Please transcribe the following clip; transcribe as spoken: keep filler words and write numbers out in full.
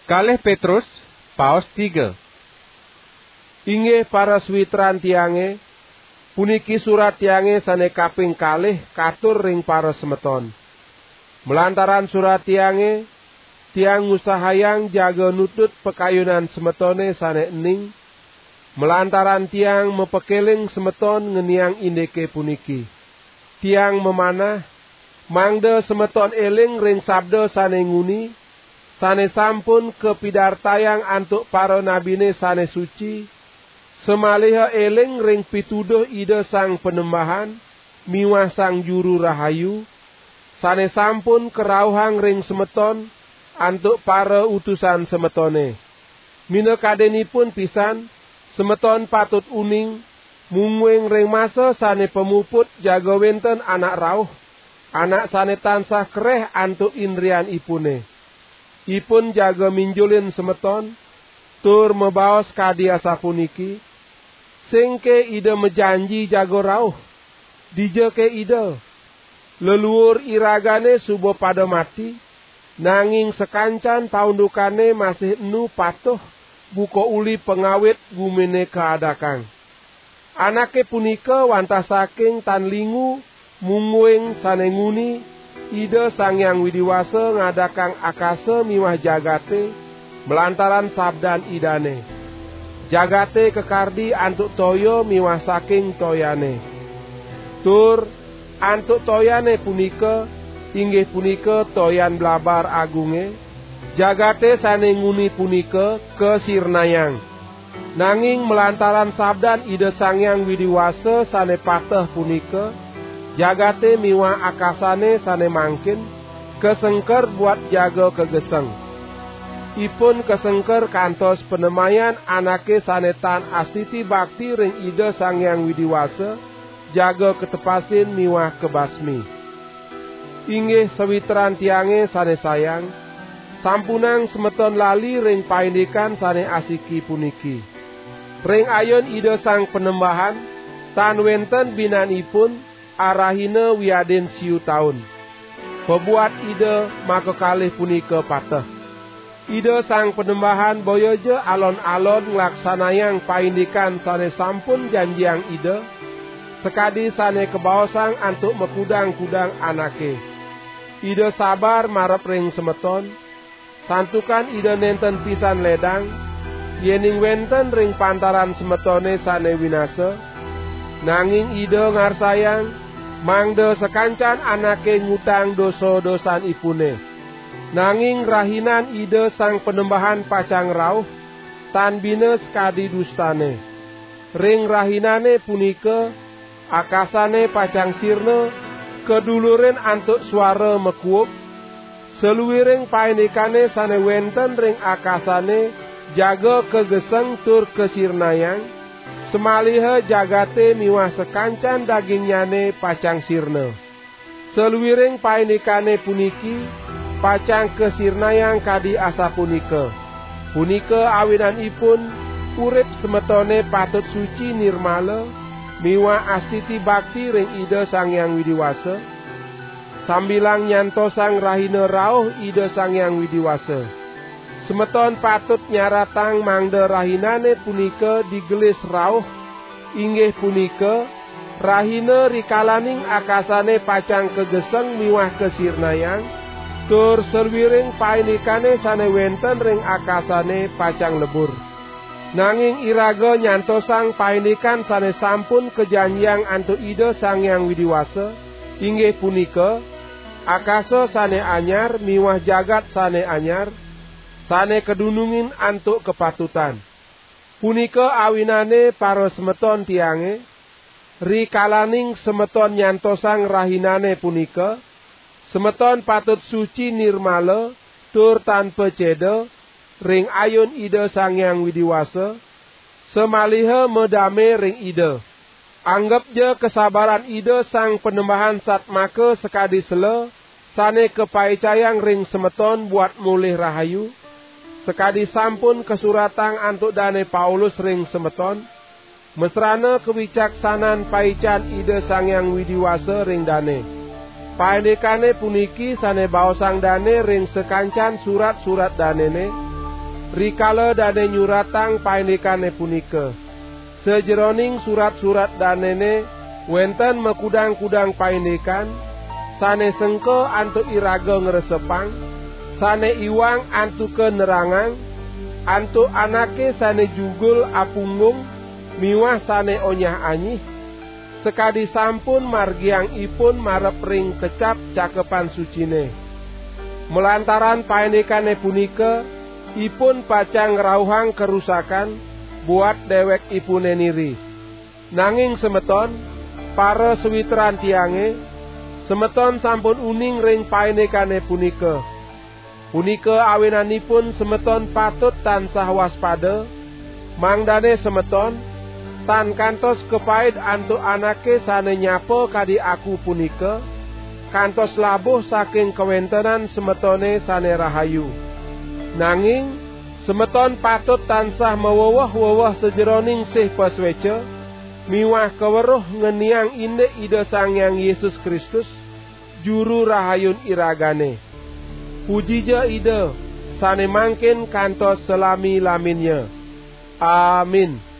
Kalih Petrus, paos tiga. Inggih para sawitran tiange, puniki surat tiange sane kaping kalih katur ring para semeton. Malantaran surat tiange, tiang ngusahayang jaga nutut pakayunan semetone sane ening, malantaran tiang mapakeling semeton ngeniang indike puniki. Tiang mamanah, mangda semeton eling ring sabda sane nguni, sane sampun kapidartayang antuk paranabine sane suci, samaliha eling ring pituduh Ida Sang Panembahan miwah Sang Juru Rahayu, sane sampun karauhang ring semeton antuk para utusan semetone. Minakadinipun pisan, semeton patut uning, mungguing ring masa sane pamuput jaga wenten anak rauh, anak sane tansah kereh antuk indrianipune. Ipun jaga minjulin semeton, tur mabaos kadi asapuniki, "Singke Ida majanji jaga rauh? Dijake Ida? Leluur iragane suba pada mati, nanging sakancan paundukane masih enu patuh buka uli pangawit gumine kaadakang." Anake punika wantah saking tan lingu, mungguing sane nguni, Ida Sang Hyang Widi Wasa ngadakang akasa miwah jagate malantaran sabdan Idane. Jagate kakardi antuk toya miwah saking toyane. Tur antuk toyane punika, inggih punika toyan blabar agunge, jagate sane nguni punika kasirnayang. Nanging malantaran sabdan Ida Sang Hyang Widi Wasa sane pateh punika, jagate miwah akasane sane mangkin kasengker buat jaga kageseng. Ipun kasengker kantos panemayan anake sane tan astiti bakti ring Ida Sang Hyang Widi Wasa, jaga katepasin miwah kabasmi. Inggih sawitran tiange sane sayang, sampunang semeton lali ring paindikan sane asiki puniki. Ring ayun Ida Sang Panembahan, tan wenten binanipun arahina wiadin siu taun. Pabuat Ida makakalih punika pateh. Ida Sang Panembahan boyaja alon-alon nglaksanayang paindikan sane sampun janjiang Ida, sakadi sane kabaosang antuk makudang-kudang anake. Ida sabar marep ring semeton, santukan Ida nenten pisan ledang, yening wenten ring pantaran semetone sane winasa, nanging Ida ngarsayang mangda sakancan anake ngutang dosa-dosanipune. Nanging rahinan Ida Sang Panembahan pacang rauh, tan bina sakadi dustane. Ring rahinane punika, akasane pacang sirna, kadulurin antuk suara makuub, saluiring paindikane sane wenten ring akasane jaga kageseng tur kasirnayang, samaliha jagate miwah sakancan dagingnyane pacang sirna. Saluiring paindikane puniki pacang kasirnayang kadi asapunika. Punika awinanipun urip semetone patut suci nirmala miwah astiti bakti ring Ida Sang Hyang Widi Wasa, sambilang nyantosang rahina rauh Ida Sang Hyang Widi Wasa. Semeton patut nyaratang mangda rahinane punika digelis rauh, inggih punika, rahina rikalaning akasane pacang kageseng miwah kasirnayang, tur saluiring paindikane sane wenten ring akasane pacang lebur. Nanging iraga nyantosang paindikan sane sampun kajanjiang antuk Ida Sang Hyang Widi Wasa, inggih punika, akasa sane anyar miwah jagat sane anyar, sane kadunungin antuk kapatutan. Punika awinane parasemeton tiange, rikalaning semeton nyantosang rahinane punika, semeton patut suci nirmala tur tanpa ceda ring ayun Ida Sang Hyang Widi Wasa, samaliha madame ring Ida. Anggepja kasabaran Ida Sang Panembahan satmaka sakadi sela, sane kapaicayang ring semeton buat molih rahayu, sakadi sampun kasuratang antuk Dane Paulus ring semeton, masrana kawicaksanan paican Ida Sang Hyang Widi Wasa ring dane. Paindikane puniki sane baosang dane ring sakancan surat-surat danene, rikala dane nyuratang paindikane punika. Sajeroning surat-surat danene wenten makudang-kudang paindikan, sane sengka antuk iraga ngresepang, sane iwang antuka nerangang, antuk anake sane jugul apunggung miwah sane onyah-anyih, sakadi sampun margiang ipun marep ring kecap Cakepan Sucine. Malantaran paindikane punika, ipun pacang ngrauhang karusakan buat dewekipune niri. Nanging semeton, para sawitran tiange, semeton sampun uning ring paindikane punika. Punika awinanipun semeton patut tansah waspada, mangdane semeton tan kantos kapaid antuk anake sane nyapa kadi aku punika, kantos labuh saking kawentenan semetone sane rahayu. Nanging semeton patut tansah maweweh-weweh sajeroning sih pasueca miwah kaweruh ngeniang indik Ida Sang Hyang Yesus Kristus, Juru Rahayun iragane. Pujija Ida, sane mangkin kantos salami-laminnya. Amin.